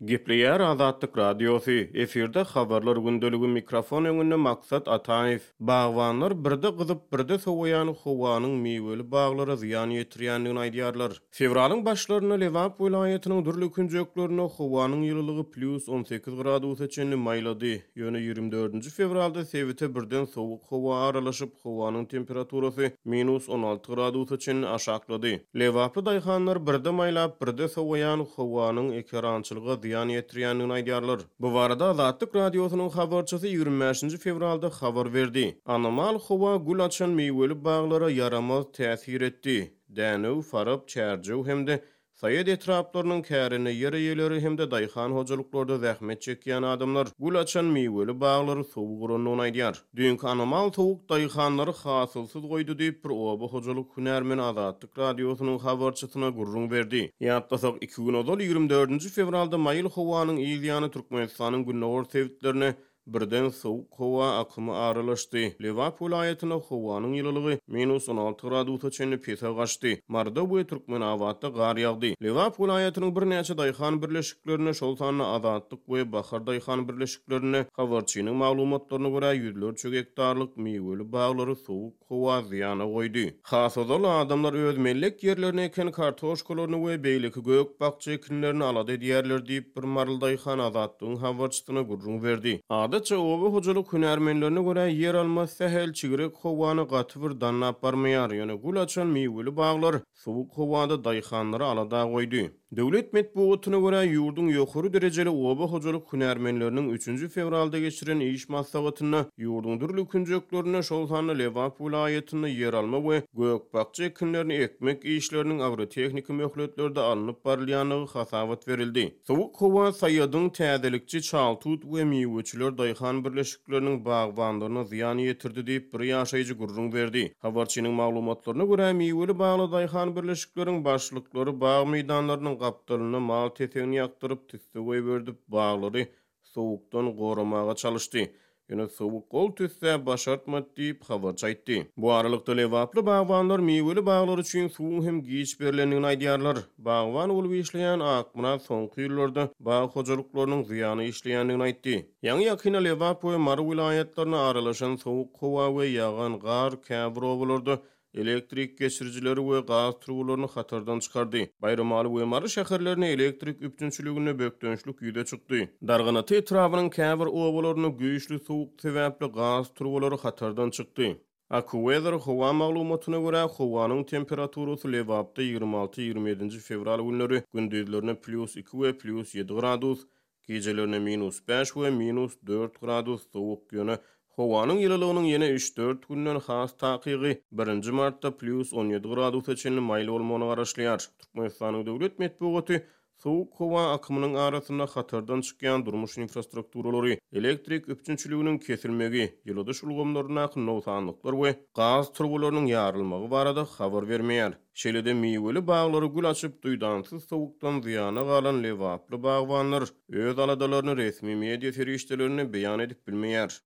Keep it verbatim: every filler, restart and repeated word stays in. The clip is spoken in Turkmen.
Gepleýär Azatlyk Radiosy, efirde Habarlar gündeligi, mikrofon öňünde Maksat Ataýew. Bagbanlar birde gyzyp, birde sowaýan howanyň miweli baglara zyýan ýetirýändigini aýdýarlar. Fewralyň başlarynda Lebap welaýatynyň dürli künjeklerinde howanyň ýylylygy plýus on sekiz gradusa çenli maýlady. Ýöne ýigrimi dördünji fewralda sebite birden sowuk howa aralaşyp, howanyň temperaturasy minus on alty gradusa çenli aşaklady. Lebaply daýhanlar birde maýlap, birde sowaýan howanyň ekerançylyga zyýan ýetirýändigini aýdýarlar. Bu barada Azatlyk Radiosynyň habarçysy ýigrimi bäşinji fewralda habar berdi. Anomal howa gül açan miweli baglara ýaramaz täsir etdi. Dänew, Farap, Çärjew hem-de Saýat etraplarynyň kärende ýer eýeleri hem-de daýhan hojalyklarda zähmet çekýän adamlar gül açan miweli baglary sowuk urandygyny aýdýar. Düýnki anomal sowuk daýhanlary hasylsyz goýdy diýip bir oba hojalyk hünärmeni Azatlyk Radiosynyň habarçysyna gürrüň berdi. Ýatlasak, iki gün ozal ýigrimi dördünji fewralda maýyl howanyň yz ýany Türkmenistanyň gündogar sebitlerine birden sowuk howa akymy aralaşdy. Lebap welaýatynda howanyň ýylylygy minus on alty gradusa çenli pese gaçdy. Maryda we Türkmenabatda gar ýagdy. Lebap welaýatynyň birnäçe daýhan birleşiklerinde, şol sanda Azatlyk we Bahar daýhan birleşiklerinde habarçynyň maglumatlaryna görä ýüzlerçe gektarlyk miweli baglary sowuk howa zyýana goýdy. Has ozal adamlar öz mellek ýerlerine eken kartoşkalaryny we beýleki gök bakja ekinlerini alada edýärler diýip bir maryly daýhan Azatlygyň habarçysyna gürrüň berdi. Adatça oba hojalyk hünärmenlerine görä ýer alma sähel çigrek howany gaty bir dannap barmaýar. Ýöne gül açan miweli baglar sowuk howada daýhanlary alada goýdy. Döwlet metbugatyna görä ýurduň ýokary derejeli oba hojalyk hünärmenleriniň üçünji fewralda geçiren iş maslahatynda ýurduň dürli künjeklerinde, şol sanda Lebap welaýatynda ýer alma we gök bakja ekinlerini ekmek işleriniň agrotehniki möhletlerde alnyp barylýandygy hasabat berildi. Sowuk howa Saýadyň täzelikçi Çaltut we miweçiler daýhan birleşikleriniň bagbanlaryna zyýan ýetirdi diýip bir ýaşaýjy gürrüň berdi. Habarçynyň maglumatlaryna görä miweli bagly daýhan birleşikleriň başlyklary bag meýdanlarynyň gapdalynda mal tetegini ýakdyryp, tüsse goýberdip, baglary sowukdan goramaga çalyşdy. Ýöne sowuk gol tüsse başartmady diýip habarçy aýtdy. Bu aralykda Lebaply bagbanlar miweli baglar üçin suwuň hem giç berilendigini aýdýarlar. Bagban bolup işleýän Akmyrat soňky ýyllarda bag hojalyklarynyň zyýany işleýändigini aýtdy. Ýaňy ýakyna Lebap we Mary welaýatlaryna aralaşan sowuk howa we ýagan gar käbir obalarda elektrik geçirijileri we gaz turbalaryny hatardan çykardy. Baýramaly we Mary şäherlerine elektrik üpjünçiliginde bökdençlik ýüze çykdy. Darganata etrabynyň käbir obalarynda güýçli sowuk sebäpli gaz turbalary hatardan çykdy. AccuWeather howa maglumatyna görä howanyň temperaturasy Lebapda ýigrimi alty ýigrimi ýedinji fewral günleri gündizlerine plýus iki we plýus ýedi gradus, gecelerine minus bäş we minus dört gradus sowuk, ýöne howanyň ýylylygynyň ýene üç-dört günden has takygy birinji martda plýus on ýedi gradusa çenli maýyl bolmagyna garaşylýar. Türkmenistanyň döwlet metbugaty sowuk howa akymynyň arasynda hatardan çykýan durmuş infrastrukturalary, elektrik üpjünçiliginiň kesilmegi, ýyladyş ulgamlaryndaky nogsanlyklar we gaz turbalarynyň ýarylmagy barada habar bermeýär. Şeýle-de miweli baglary gül açyp duýdansyz sowukdan zyýana galan Lebaply bagbanlar öz aladalaryny resmi media serişdelerinde beýan edip bilmeýär.